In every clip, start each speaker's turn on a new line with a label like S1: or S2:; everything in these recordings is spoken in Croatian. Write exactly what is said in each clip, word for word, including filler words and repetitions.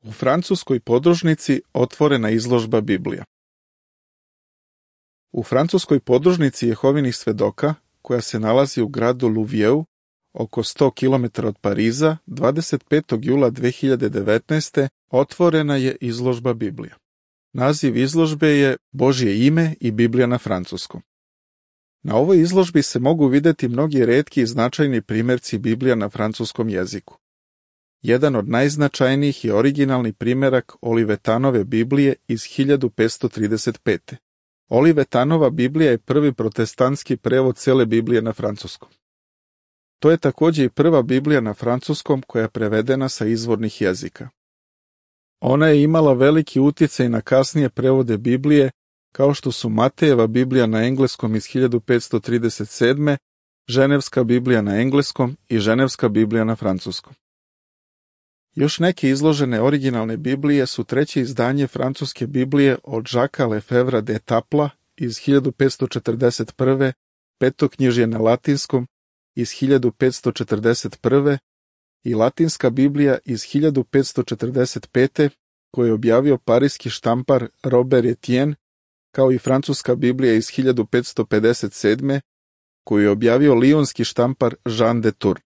S1: U francuskoj podružnici otvorena izložba Biblija. U francuskoj podružnici Jehovinih svedoka, koja se nalazi u gradu Louviers, oko sto kilometara od Pariza, dvadeset petog jula dve hiljade devetnaeste. otvorena je izložba Biblija. Naziv izložbe je Božje ime i Biblija na francuskom. Na ovoj izložbi se mogu vidjeti mnogi retki i značajni primjerci Biblija na francuskom jeziku. Jedan od najznačajnijih je originalni primjerak Olivetanove Biblije iz hiljadu petsto trideset pete. Olivetanova Biblija je prvi protestantski prevod cijele Biblije na francuskom. To je također i prva Biblija na francuskom koja je prevedena sa izvornih jezika. Ona je imala veliki utjecaj na kasnije prevode Biblije, kao što su Matejeva Biblija na engleskom iz hiljadu petsto trideset sedme, Ženevska Biblija na engleskom i Ženevska Biblija na francuskom. Još neke izložene originalne Biblije su treće izdanje francuske Biblije od Jacquesa Lefevra d'Etapla iz hiljadu petsto četrdeset prve, petoknjižje na latinskom iz hiljadu petsto četrdeset prve i Latinska Biblija iz hiljadu petsto četrdeset pete koju je objavio parijski štampar Robert Etienne, kao i Francuska Biblija iz hiljadu petsto pedeset sedme koju je objavio lionski štampar Jean de Tours.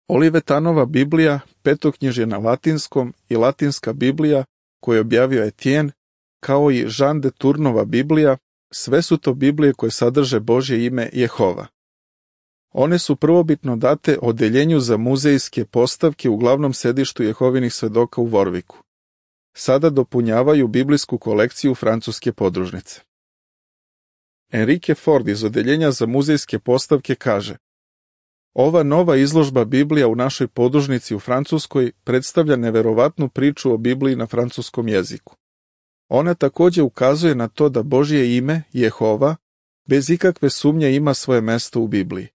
S1: Olivetanova Biblija, petoknjižje na latinskom i Latinska Biblija koju je objavio Etienne, kao i Jean de Toursnova Biblija, sve su to Biblije koje sadrže Božje ime Jehova. One su prvobitno date odeljenju za muzejske postavke u glavnom sedištu Jehovinih svedoka u Warwicku. Sada dopunjavaju biblijsku kolekciju francuske podružnice. Enrique Ford iz odeljenja za muzejske postavke kaže: Ova nova izložba Biblija u našoj podružnici u Francuskoj predstavlja neverovatnu priču o Bibliji na francuskom jeziku. Ona također ukazuje na to da Božje ime, Jehova, bez ikakve sumnje ima svoje mesto u Bibliji.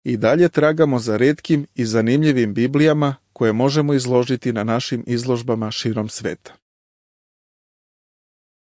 S1: I dalje tragamo za retkim i zanimljivim Biblijama koje možemo izložiti na našim izložbama širom sveta.